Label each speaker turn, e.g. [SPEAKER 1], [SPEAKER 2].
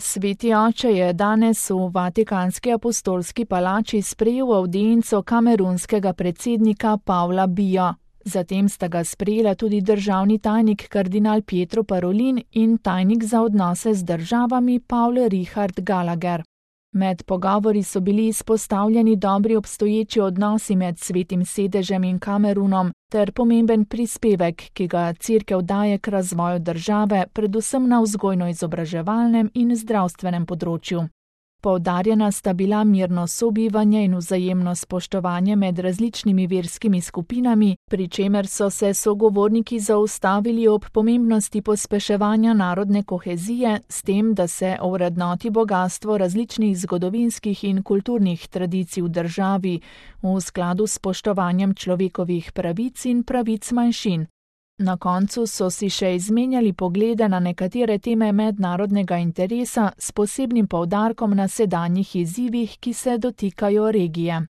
[SPEAKER 1] Sveti oče je danes v Vatikanski apostolski palači sprejel avdienco kamerunskega predsednika Pavla Bijo. Zatem sta ga sprejela tudi državni tajnik kardinal Pietro Parolin in tajnik za odnose z državami Paul Richard Gallagher. Med pogovori so bili izpostavljeni dobri obstoječi odnosi med Svetim sedežem in Kamerunom ter pomemben prispevek, ki ga Cerkev daje k razvoju države, predvsem na vzgojno-izobraževalnem in zdravstvenem področju. Poudarjena sta bila mirno sobivanje in vzajemno spoštovanje med različnimi verskimi skupinami, pri čemer so se sogovorniki zaustavili ob pomembnosti pospeševanja narodne kohezije s tem, da se ovrednoti bogastvo različnih zgodovinskih in kulturnih tradicij v državi v skladu s spoštovanjem človekovih pravic in pravic manjšin. Na koncu so si še izmenjali poglede na nekatere teme mednarodnega interesa s posebnim poudarkom na sedanjih izzivih, ki se dotikajo regije.